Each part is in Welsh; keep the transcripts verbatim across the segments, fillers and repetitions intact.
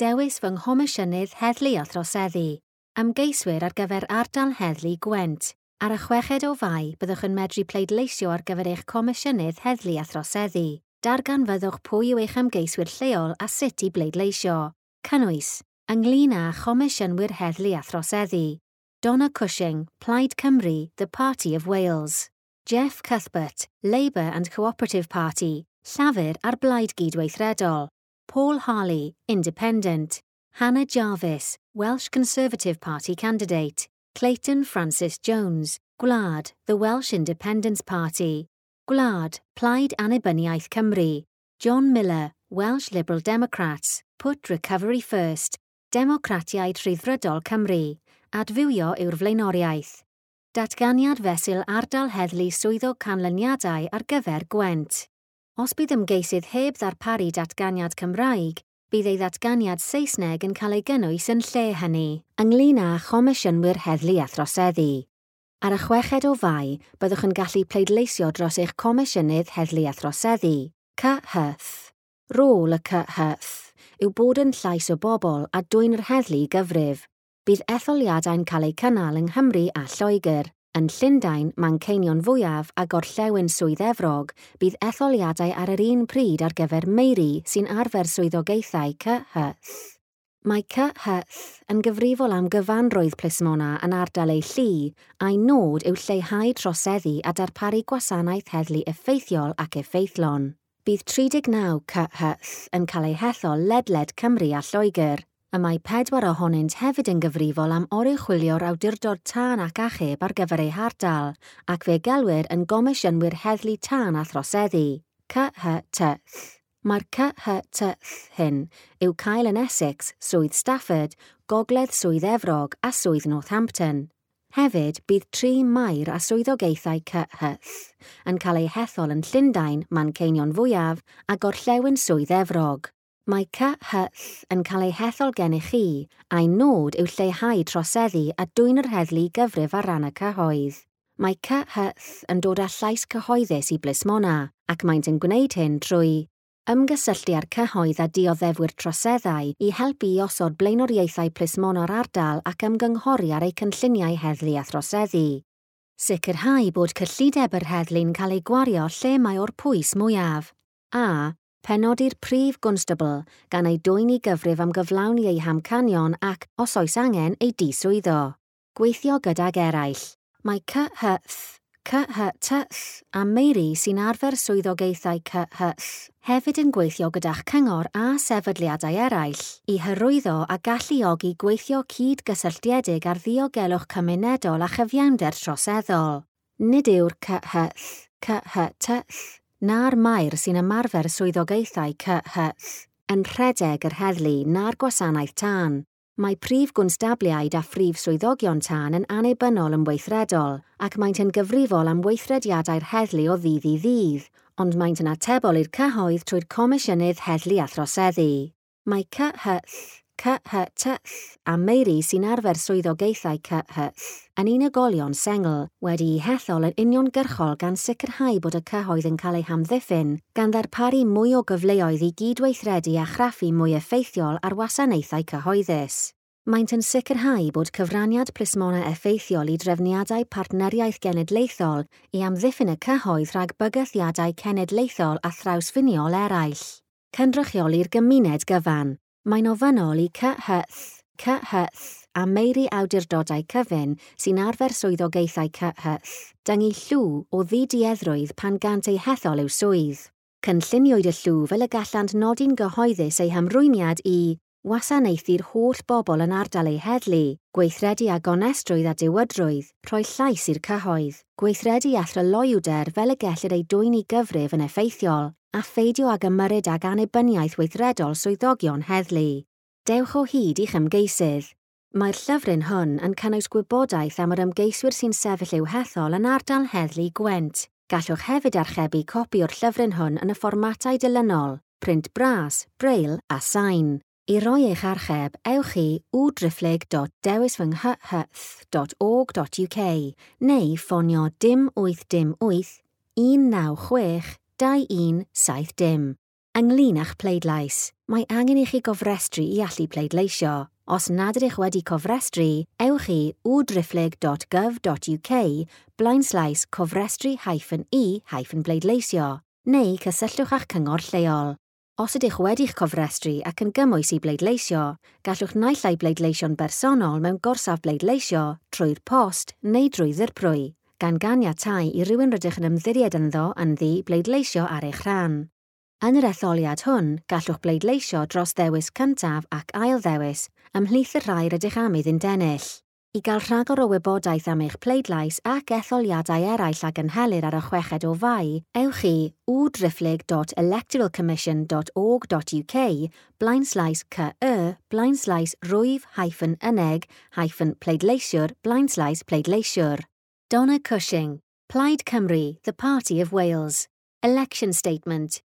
Dewis fy nghomisiynydd heddlu a throseddu. Ymgeiswyr ar gyfer ardal heddlu Gwent. Ar y chweched o Fai, byddwch yn medru pleidleisio ar gyfer eich comisiynydd heddlu a throseddu. Darganfyddwch pwy yw eich ymgeiswyr lleol a sut i bleidleisio. Cynnwys, ynglyn â chomisiynwyr heddlu a throseddu. Donna Cushing, Plaid Cymru, The Party of Wales. Jeff Cuthbert, Labour and Cooperative Party, Llafur a'r Blaid Gydweithredol. Paul Harley, Independent. Hannah Jarvis, Welsh Conservative Party candidate. Clayton Francis Jones, Gwlad, The Welsh Independence Party. Gwlad, Plaid Annibyniaeth Cymru. John Miller, Welsh Liberal Democrats, Put Recovery First. Democratiaid Rhyddfrydol Cymru. Adfywio yw'r flaenoriaeth. Datganiad fesul ardal heddlu swyddog canlyniadau ar gyfer Gwent. Os bydd ymgeisydd heb ddarparu datganiad Cymraeg, bydd ei ddatganiad Saesneg yn cael ei gynnwys yn lle hynny, ynglyn â chomisiynwyr heddlu a throseddu. Ar y chweched o Fai, byddwch yn gallu pleidleisio dros eich comisiynydd heddlu a throseddu, C H T. Rôl y C H T yw bod yn llais o bobl a dwyn yr heddlu i gyfrif. Bydd etholiadau'n cael eu cynnal yng Nghymru a Lloegr. Yn Llundain, Manceinion Fwyaf a Gorllewin Swydd Efrog, bydd etholiadau ar yr un pryd ar gyfer meiri sy'n arfer swyddogaethau C H T. Mae C H T yn gyfrifol am gyfanrwydd plismona yn ardal ei llu, a'i nod yw lleihau troseddu a darparu gwasanaeth heddlu effeithiol ac effeithlon. Bydd tri deg naw C H T yn cael eu hethol ledled Cymru a Lloegr, y mae pedwar ohonynt hefyd yn gyfrifol am oruchwylio'r awdurdod tân ac achub ar gyfer eu hardal, ac fe gelwir yn gomisiynwyr heddlu tân a throseddu, C H T. Mae'r C H T hyn yw cael yn Essex, Swydd Stafford, Gogledd Swydd Efrog a Swydd Northampton. Hefyd, bydd tri maer a swyddogaethau C H T yn cael eu hethol yn Llundain, Manceinion Fwyaf a Gorllewin Swydd Efrog. Mae C H T yn cael ei hethol gennych chi, a'i nod yw lleihau troseddu a dwyn yr heddlu i gyfrif ar ran y cyhoedd. Mae C H T yn dod â llais cyhoeddus i blismona, ac maent yn gwneud hyn trwy ymgysylltu â'r cyhoedd a dioddefwyr troseddau i helpu i osod blaenoriaethau plismona'r ardal ac ymgynghori ar eu cynlluniau heddlu a throseddu. Sicrhau bod cyllideb yr heddlu'n cael ei gwario lle mae o'r pwys mwyaf. A. Penodi'r prif gwnstabl gan ei dwyn i gyfrif am gyflawni ei hamcanion ac, os oes angen, ei diswyddo. Gweithio gydag eraill. Mae C H T, C H T a meiri sy'n arfer swyddogaethau C H T hefyd yn gweithio gyda'ch cyngor a sefydliadau eraill i hyrwyddo a galluogi gweithio cyd-gysylltiedig ar ddiogelwch cymunedol a chyfiawnder troseddol. Nid yw'r C H T, C H T na'r maer sy'n ymarfer swyddogaethau C H T yn rhedeg yr heddlu na'r gwasanaeth tân. Mae prif gwnstabliaid a phrif swyddogion tân yn annibynnol yn weithredol ac maent yn gyfrifol am weithrediadau'r heddlu o ddydd i ddydd, ond maent yn atebol i'r cyhoedd trwy'r Comisiynydd Heddlu a Throseddu. Mae C H T, C H T a meiri sy'n arfer swyddogaethau C H T yn unigolion sengl wedi'u hethol yn uniongyrchol gan sicrhau bod y cyhoedd yn cael eu hamddiffyn, gan ddarparu mwy o gyfleoedd i gydweithredu a chraffu mwy effeithiol ar wasanaethau cyhoeddus. Maent yn sicrhau bod cyfraniad plismona effeithiol i drefniadau partneriaeth genedlaethol i amddiffyn y cyhoedd rhag bygythiadau cenedlaethol a thrawsffiniol eraill. Cynrychioli'r gymuned gyfan. Mae'n ofynnol i C H T, C H T a meiri awdurdodau cyfun sy'n arfer swyddogaethau C H T dyngu llw o ddidueddrwydd pan gant eu hethol i'w swydd. Cynlluniwyd y llw fel y gallant nodi'n gyhoeddus eu hymrwymiad i wasanaethu'r holl bobl yn ardal eu heddlu, gweithredu â gonestrwydd a diwydrwydd, rhoi llais i'r cyhoedd, gweithredu â thryloywder fel y gellir ei dwyn i gyfrif yn effeithiol, a pheidio ag ymyrryd ag annibyniaeth weithredol swyddogion heddlu. Dewch o hyd i'ch ymgeisydd. Mae'r llyfryn hwn yn cynnwys gwybodaeth am yr ymgeiswyr sy'n sefyll i'w hethol yn ardal heddlu Gwent. Gallwch hefyd archebu copi o'r llyfryn hwn yn y fformatau dilynol, print bras, braille a sain. I roi eich archeb, ewch i w driphlyg dot dewis fy nghyhyth dot org dot U K neu ffonio dim wyth dim wyth un naw chwech dau un saith dim. Ynglyn â'ch pleidlais, mae angen i chi gofrestru i allu pleidleisio. Os nad ydych wedi cofrestru, ewch i w driphlyg dot gov dot U K blaenslaes cofrestru hyphen i hyphen bleidleisio, neu cysylltwch â'ch cyngor lleol. Os ydych wedi'ch cofrestru ac yn gymwys i bleidleisio, gallwch naill ai bleidleisio'n bersonol mewn gorsaf bleidleisio, trwy'r post neu drwy ddirprwy, gan ganiatáu i rywun rydych yn ymddiried ynddo ynddi bleidleisio ar eich rhan. Yn yr etholiad hwn, gallwch bleidleisio dros ddewis cyntaf ac ail ddewis ymhlith y rhai rydych am iddynt ennill. I gael rhagor o wybodaeth am eich pleidlais ac etholiadau eraill a gynhelir ar y chweched o Fai, ewch i w driphlyg dot electoralcommission dot org dot U K blaenslaes C Y blaenslaes rwyf hyphen yneg hyphen pleidleisiwr blaenslaes pleidleisiwr. Donna Cushing, Plaid Cymru, the Party of Wales. Election Statement.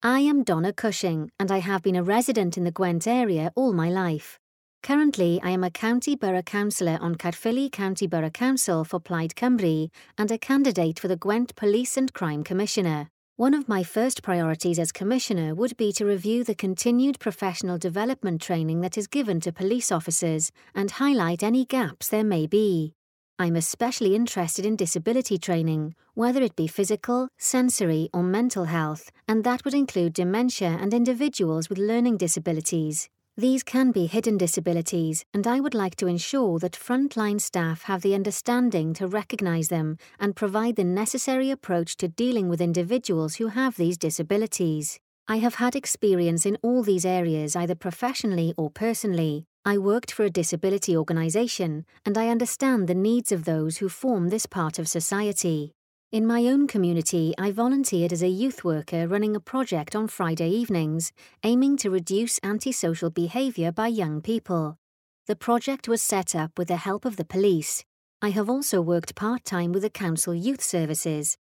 I am Donna Cushing, and I have been a resident in the Gwent area all my life. Currently, I am a County Borough Councillor on Caerphilly County Borough Council for Plaid Cymru and a candidate for the Gwent Police and Crime Commissioner. One of my first priorities as Commissioner would be to review the continued professional development training that is given to police officers and highlight any gaps there may be. I'm especially interested in disability training, whether it be physical, sensory, or mental health, and that would include dementia and individuals with learning disabilities. These can be hidden disabilities, and I would like to ensure that frontline staff have the understanding to recognise them and provide the necessary approach to dealing with individuals who have these disabilities. I have had experience in all these areas, either professionally or personally. I worked for a disability organisation, and I understand the needs of those who form this part of society. In my own community, I volunteered as a youth worker running a project on Friday evenings, aiming to reduce antisocial behaviour by young people. The project was set up with the help of the police. I have also worked part time with the Council Youth Services.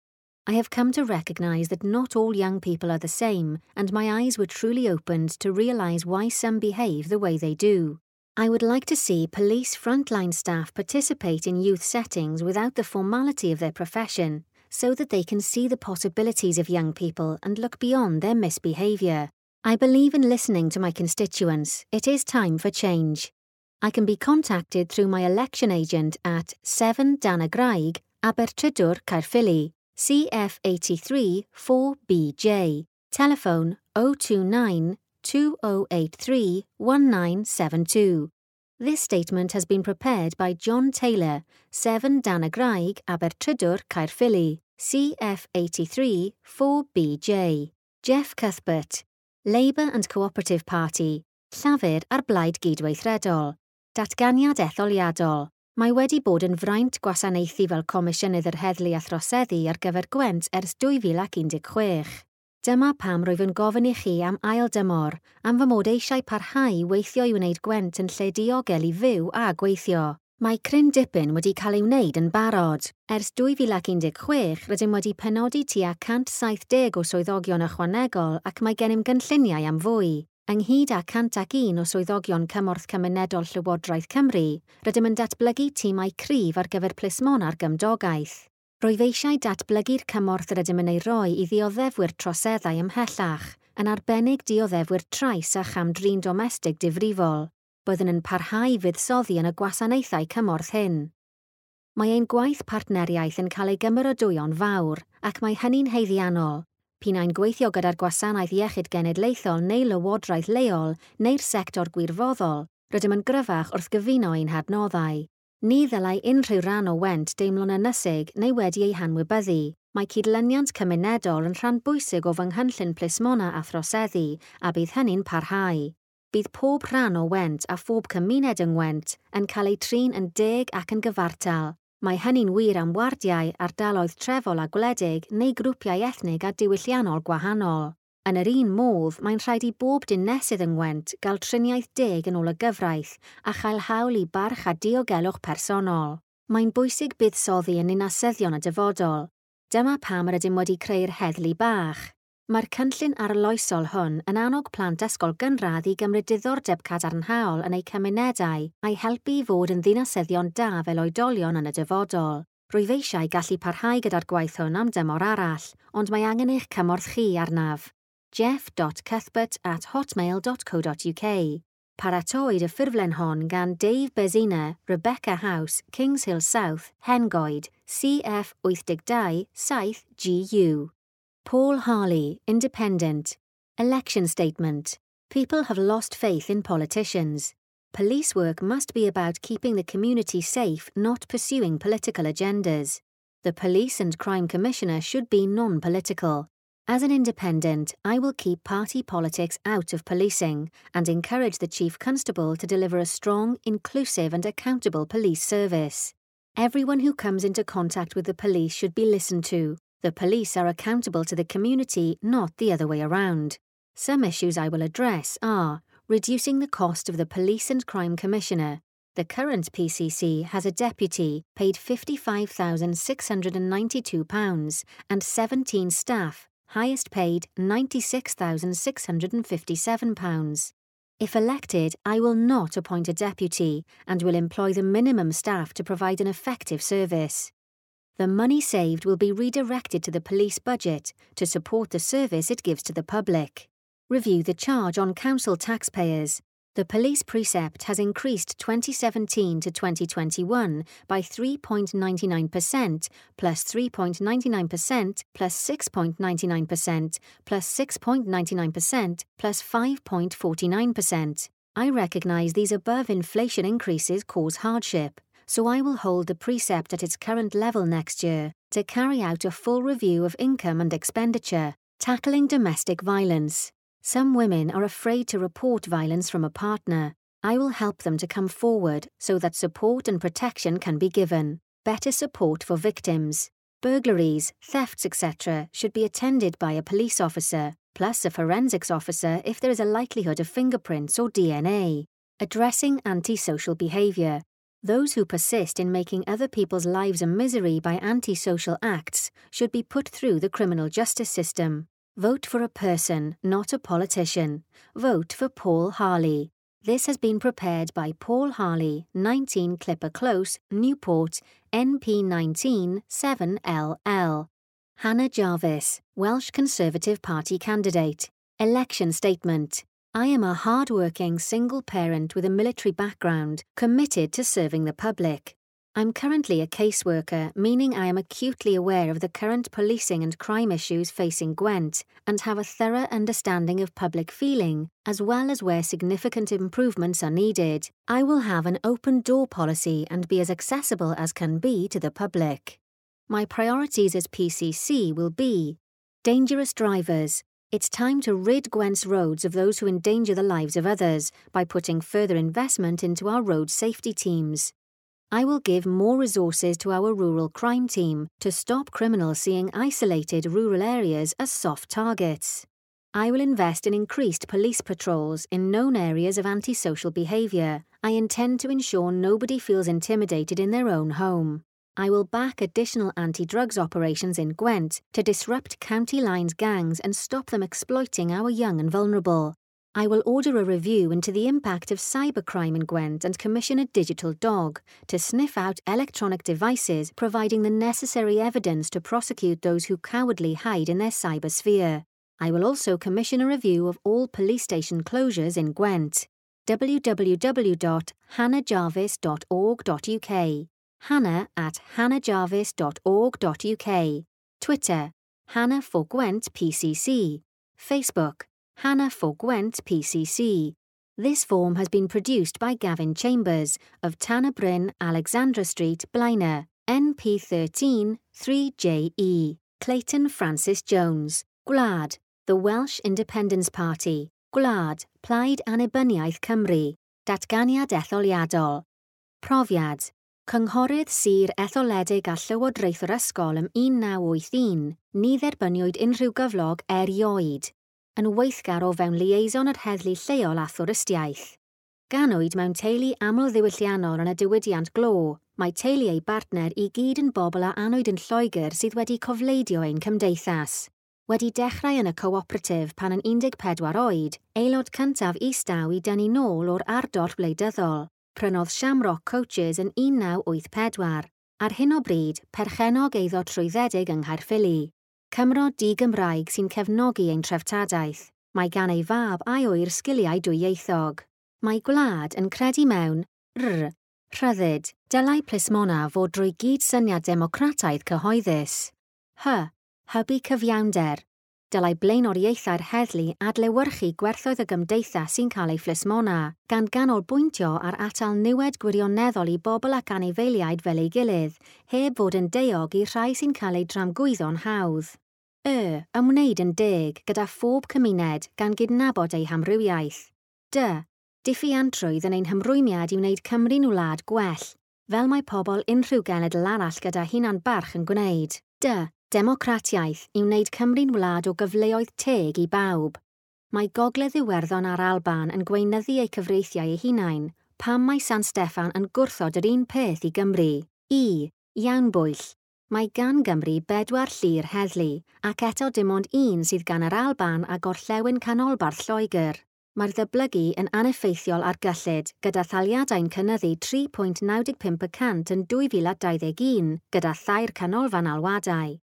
I have come to recognise that not all young people are the same, and my eyes were truly opened to realise why some behave the way they do. I would like to see police frontline staff participate in youth settings without the formality of their profession, so that they can see the possibilities of young people and look beyond their misbehaviour. I believe in listening to my constituents. It is time for change. I can be contacted through my election agent at seven Danygraig, Abertridwr, Caerphilly, C F eight three four B J. Telephone oh two nine two oh eight three one nine seven two. This statement has been prepared by John Taylor, seven Danygraig, Abertridwr, Caerphilly, C F eight three four B J. Jeff Cuthbert, Labour and Cooperative Party, Llafur a'r Blaid Gydweithredol. Datganiad etholiadol. Mae wedi bod yn fraint gwasanaethu fel Comisiynydd yr Heddlu a Throseddu ar gyfer Gwent ers dwy fil un deg chwech. Dyma pam rwyf yn gofyn i chi am ail dymor, am fy mod eisiau parhau i weithio i wneud Gwent yn lle diogel i fyw a gweithio. Mae cryn dipyn wedi cael ei wneud yn barod. Ers dwy fil un deg chwech, rydym wedi penodi tua cant saith deg o swyddogion ychwanegol ac mae gennym gynlluniau am fwy. Ynghyd â cant un o swyddogion cymorth cymunedol Llywodraeth Cymru, rydym yn datblygu tîmau cryf ar gyfer plismona'r gymdogaeth. Rwyf eisiau datblygu'r cymorth rydym yn ei roi i ddioddefwyr troseddau ymhellach, yn arbennig dioddefwyr trais a cham-drin domestig difrifol. Byddwn yn parhau i fuddsoddi yn y gwasanaethau cymorth hyn. Mae ein gwaith partneriaeth yn cael ei gymeradwyo'n fawr, ac mae hynny'n haeddiannol. P'un ai'n gweithio gyda'r Gwasanaeth Iechyd Genedlaethol neu Lywodraeth leol neu'r sector gwirfoddol, rydym yn gryfach wrth gyfuno ein hadnoddau. Ni ddylai unrhyw ran o Went deimlo'n ynysig neu wedi ei hanwybyddu. Mae cydlyniant cymunedol yn rhan bwysig o fy nghynllun plismona a throseddu a bydd hynny'n parhau. Bydd pob rhan o Went a phob cymuned yng Ngwent yn cael ei trin yn deg ac yn gyfartal. Mae hynny'n wir am wardiau, ardaloedd trefol a gwledig neu grwpiau ethnig a diwylliannol gwahanol. Yn yr un modd, mae'n rhaid i bob dinesydd yng Ngwent gael triniaeth deg yn ôl y gyfraith a chael hawl i barch a diogelwch personol. Mae'n bwysig buddsoddi yn ninasyddion y dyfodol. Dyma pam yr ydym wedi creu'r heddlu bach. Mae'r cynllun arloesol hwn yn annog plant ysgol gynradd i gymryd diddordeb cadarnhaol yn eu cymunedau a'i helpu i fod yn ddinasyddion da fel oedolion yn y dyfodol. Rwyf eisiau gallu parhau gyda'r gwaith hwn am dymor arall, ond mae angen eich cymorth chi arnaf. jeff dot cuthbert at hotmail dot co dot U K. Paratoid y ffurflen hon gan Dave Bezina, Rebecca House, Kings Hill South, Hengoed, C F wyth dau saith G U. Paul Harley, Independent. Election Statement. People have lost faith in politicians. Police work must be about keeping the community safe, not pursuing political agendas. The Police and Crime Commissioner should be non-political. As an independent, I will keep party politics out of policing and encourage the Chief Constable to deliver a strong, inclusive and accountable police service. Everyone who comes into contact with the police should be listened to. The police are accountable to the community, not the other way around. Some issues I will address are reducing the cost of the Police and Crime Commissioner. The current P C C has a deputy paid fifty-five thousand six hundred and ninety-two pounds and seventeen staff, highest paid ninety-six thousand six hundred and fifty-seven pounds. If elected, I will not appoint a deputy and will employ the minimum staff to provide an effective service. The money saved will be redirected to the police budget to support the service it gives to the public. Review the charge on council taxpayers. The police precept has increased twenty seventeen to twenty twenty-one by three point nine nine percent plus three point nine nine percent plus six point nine nine percent plus six point nine nine percent plus five point four nine percent. I recognise these above inflation increases cause hardship, so I will hold the precept at its current level next year to carry out a full review of income and expenditure. Tackling domestic violence. Some women are afraid to report violence from a partner. I will help them to come forward so that support and protection can be given. Better support for victims. Burglaries, thefts, et cetera should be attended by a police officer, plus a forensics officer if there is a likelihood of fingerprints or D N A. Addressing antisocial behaviour. Those who persist in making other people's lives a misery by antisocial acts should be put through the criminal justice system. Vote for a person, not a politician. Vote for Paul Harley. This has been prepared by Paul Harley, nineteen Clipper Close, Newport, N P nineteen seven L L. Hannah Jarvis, Welsh Conservative Party candidate. Election statement. I am a hard-working single parent with a military background, committed to serving the public. I'm currently a caseworker, meaning I am acutely aware of the current policing and crime issues facing Gwent and have a thorough understanding of public feeling, as well as where significant improvements are needed. I will have an open door policy and be as accessible as can be to the public. My priorities as P C C will be dangerous drivers. It's time to rid Gwent's roads of those who endanger the lives of others by putting further investment into our road safety teams. I will give more resources to our rural crime team to stop criminals seeing isolated rural areas as soft targets. I will invest in increased police patrols in known areas of antisocial behaviour. I intend to ensure nobody feels intimidated in their own home. I will back additional anti-drugs operations in Gwent to disrupt county lines gangs and stop them exploiting our young and vulnerable. I will order a review into the impact of cybercrime in Gwent and commission a digital dog to sniff out electronic devices providing the necessary evidence to prosecute those who cowardly hide in their cybersphere. I will also commission a review of all police station closures in Gwent. w w w dot hannah jarvis dot org dot U K Hannah at hannah jarvis dot org dot U K Twitter, Hannah for Gwent P C C. Facebook, Hannah for Gwent P C C. This form has been produced by Gavin Chambers of Tanner Bryn, Alexandra Street, Blaenau, N P thirteen three J E. Clayton Francis Jones, Gwlad, the Welsh Independence Party, Gwlad, Plaid Annibyniaeth Cymru, Datganiad Etholiadol. Profiad, Cynghorydd Sir Etholedig a Llywodraethwr Ysgol ym un naw wyth un, ni dderbyniwyd unrhyw gyflog erioed, yn weithgar o fewn liaison yr heddlu lleol a thwristiaeth. Ganwyd mewn teulu amlddiwylliannol yn y diwydiant glo, mae teulu ei bartner i gyd yn bobl a anwyd yn Lloegr sydd wedi cofleidio ein cymdeithas. Wedi dechrau yn y cooperative pan yn un deg pedwar oed, aelod cyntaf Eastaw i dynnu nôl o'r ardoll wleidyddol, prynodd Shamrock Coaches yn un naw wyth pedwar. Ar hyn o bryd, perchennog eiddo trwyddedig yng Nghaerffili. Cymro di-Gymraeg sy'n cefnogi ein treftadaeth. Mae gan ei fab a'i ŵyr sgiliau dwyieithog. Mae Gwlad yn credu mewn R. Rhyddid. Dylai plismona fod drwy gydsyniad democrataidd cyhoeddus. H. Hybu cyfiawnder. Dylai blaenoriaethau'r heddlu adlewyrchu gwerthoedd y gymdeithas sy'n cael ei phlismona, gan ganolbwyntio ar atal niwed gwirioneddol i bobl ac anifeiliaid fel ei gilydd, heb fod yn daeog i'r rhai sy'n cael eu tramgwyddo'n hawdd. Y. Ymwneud yn deg gyda phob cymuned gan gydnabod eu hamrywiaeth. D. Diffuantrwydd yn ein hymrwymiad i wneud Cymru'n wlad gwell, fel mae pobl unrhyw genedl arall gyda hunan barch yn gwneud. D. Democratiaeth i wneud Cymru'n wlad o gyfleoedd teg i bawb. Mae Gogledd Iwerddon a'r Alban yn gweinyddu eu cyfreithiau eu hunain, pam mae San Steffan yn gwrthod yr un peth i Gymru. I. Iawn bwyll. Mae gan Gymru bedwar llu'r heddlu, ac eto dim ond un sydd gan yr Alban a Gorllewin Canolbarth Lloegr. Mae'r ddyblygu yn aneffeithiol ar gyllid, gyda thaliadau'n cynyddu tri pwynt naw pump y cant yn dwy fil a dau ddeg un, gyda thair canolfan alwadau.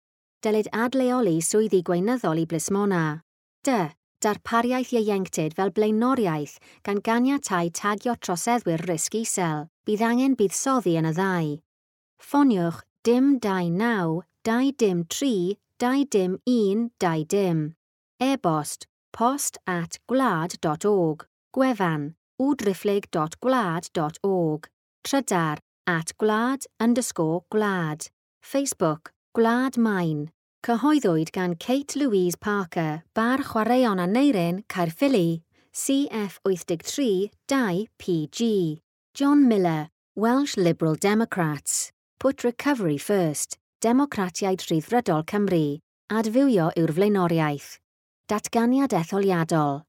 Dylid adleoli swyddi gweinyddol i blismona. D. Darpariaeth ieuenctid fel blaenoriaeth gan ganiatáu tagio troseddwyr risg isel. Bydd angen buddsoddi yn y ddau. Ffoniwch dim dau naw, dau dim tri, dau dim un, dau dim. E-bost post at gwlad dot org. Gwefan www dot gwlad dot org. Trydar at gwlad underscore gwlad. Facebook Gwlad Main. Cyhoeddwyd gan Kate Louise Parker, Bar Chwaraeon Aneurin, Caerffili, C F wyth tri dau P G. John Miller, Welsh Liberal Democrats. Put Recovery First, Democratiaid Rhyddfrydol Cymru. Adfywio yw'r flaenoriaeth. Datganiad etholiadol.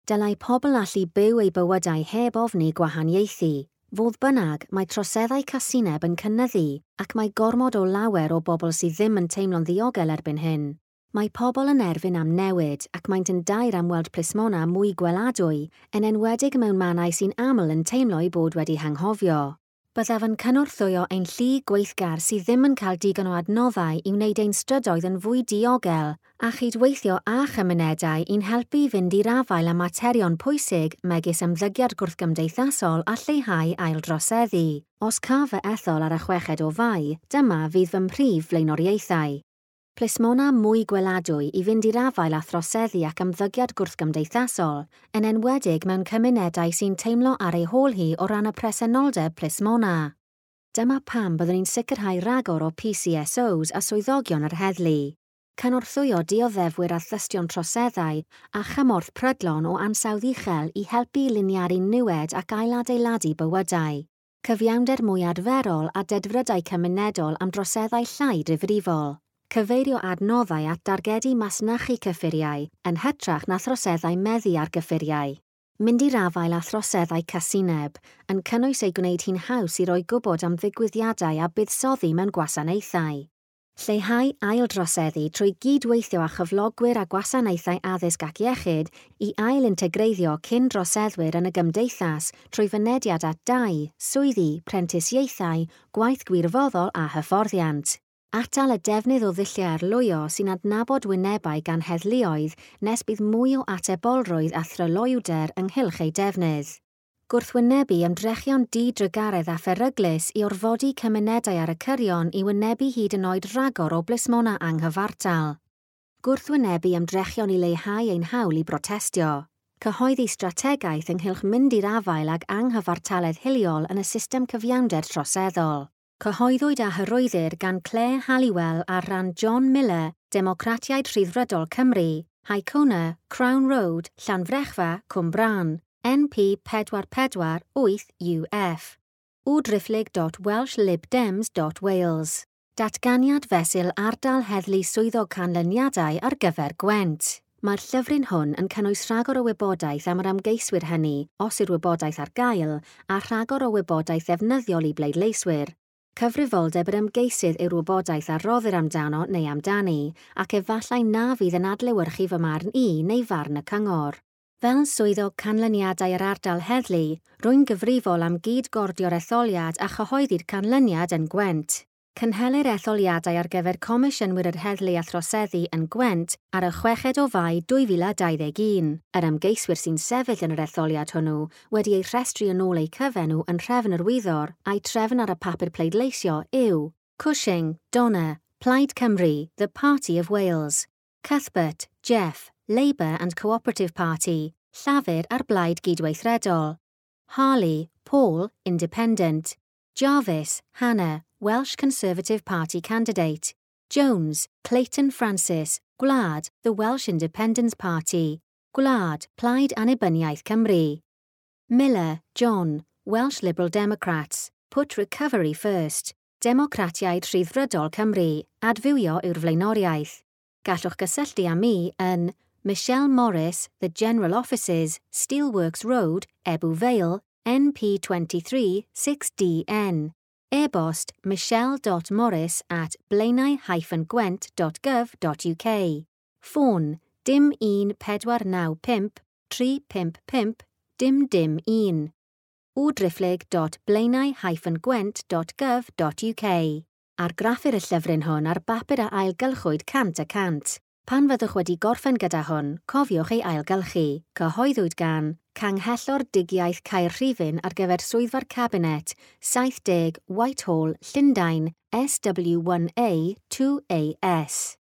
Dylai pobl allu byw eu bywydau heb ofni gwahaniaethu. Fodd bynnag, mae troseddau casineb yn cynyddu ac mae gormod o lawer o bobl sydd ddim yn teimlo'n ddiogel erbyn hyn. Mae pobl yn erfyn am newid ac maent yn daer am weld plismona mwy gweladwy, yn enwedig mewn mannau sy'n aml yn teimlo eu bod wedi hanghofio. Byddaf yn cynorthwyo ein llu gweithgar sydd ddim yn cael digon o adnoddau i wneud ein strydoedd yn fwy diogel a chydweithio â chymunedau i'n helpu i fynd i'r afael â materion pwysig megis ymddygiad gwrthgymdeithasol a lleihau aildroseddu. Os caf fy ethol ar y chweched o Fai, dyma fydd fy mhrif flaenoriaethau. Plismona mwy gweladwy i fynd i'r afael â throseddu ac ymddygiad gwrthgymdeithasol, yn enwedig mewn cymunedau sy'n teimlo ar ei hôl hi o ran y presenoldeb plismona. Dyma pam byddwn ni'n sicrhau rhagor o P C S Os a swyddogion yr heddlu. Cynorthwyo dioddefwyr a thystion troseddau a chymorth prydlon o ansawdd uchel i helpu i liniaru niwed ac ailadeiladu bywydau. Cyfiawnder mwy adferol a dedfrydau cymunedol am droseddau llai difrifol. Cyfeirio adnoddau at dargedu masnachu cyffuriau yn hytrach na throseddau meddu ar gyffuriau. Mynd i'r afael â throseddau casineb, yn cynnwys ei gwneud hi'n haws i roi gwybod am ddigwyddiadau a buddsoddi mewn gwasanaethau. Lleihau aildroseddu trwy gydweithio â chyflogwyr a gwasanaethau addysg ac iechyd i ailintegreiddio cyn droseddwyr yn y gymdeithas trwy fynediad at dai, swyddi, prentisiaethau, gwaith gwirfoddol a hyfforddiant. Atal y defnydd o ddulliau arlwyo sy'n adnabod wynebau gan heddluoedd nes bydd mwy o atebolrwydd a thryloywder ynghylch eu defnydd. Gwrthwynebu ymdrechion di-drygaredd a pheryglus i orfodi cymunedau ar y cyrion i wynebu hyd yn oed ragor o blismona anghyfartal. Gwrthwynebu ymdrechion i leihau ein hawl i brotestio. Cyhoeddi strategaeth ynghylch mynd i'r afael ag anghyfartaledd hiliol yn y system cyfiawnder troseddol. Cyhoeddwyd a hyrwyddir gan Claire Halliwell ar ran John Miller, Democratiaid Rhyddfrydol Cymru, Haicona, Crown Road, Llanfrechfa, Cwmbran, N P pedwar pedwar wyth U F. www dot welsh lib dems dot wales. Datganiad fesul ardal heddlu swyddog canlyniadau ar gyfer Gwent. Mae'r llyfryn hwn yn cynnwys rhagor o wybodaeth am yr ymgeiswyr hynny, os yw'r wybodaeth ar gael, a rhagor o wybodaeth ddefnyddiol i bleidleiswyr. Cyfrifoldeb yr ymgeisydd yw'r wybodaeth a roddir amdano neu amdani, ac efallai na fydd yn adlewyrchu fy marn i neu farn y cyngor. Fel swyddog canlyniadau yr ardal heddlu, rwy'n gyfrifol am gyd-gordio'r etholiad a chyhoeddi'r canlyniad yn Gwent. Cynhelir etholiadau ar gyfer Comisiynwyr yr Heddlu a Throseddu yn Gwent ar y chweched o Fai dwy fil a dau ddeg un. Yr ymgeiswyr sy'n sefyll yn yr etholiad hwnnw wedi eu rhestru yn ôl eu cyfenw yn nhrefn yr wyddor a'u trefn ar y papur pleidleisio yw Cushing, Donna, Plaid Cymru, The Party of Wales, Cuthbert, Jeff, Labour and Cooperative Party, Llafur a'r Blaid Gydweithredol, Harley, Paul, Independent, Jarvis, Hannah, Welsh Conservative Party candidate, Jones, Clayton Francis, Gwlad, The Welsh Independence Party, Gwlad, Plaid Annibyniaeth Cymru, Miller, John, Welsh Liberal Democrats, Put Recovery First, Democratiaid Rhyddfrydol Cymru, adfywio yw'r flaenoriaeth. Gallwch gysylltu â mi yn Michelle Morris, The General Offices, Steelworks Road, Ebbw Vale, N P twenty-three six D N. E-bost michelle dot morris at blaenau hyphen gwent dot gov dot U K. Ffôn dim un pedwar naw pump tri pump pump dim dim un. w driphlyg dot blaenau hyphen gwent dot gov dot U K. Argraffir y llyfryn hwn ar bapur a ailgylchwyd cant y cant. Pan fyddwch wedi gorffen gyda hwn, cofiwch ei ailgylchu. Cyhoeddwyd gan Canghellor Dugiaeth Caerhirfryn ar gyfer Swyddfa'r Cabinet, saith deg Whitehall, Llundain, S W one A two A S.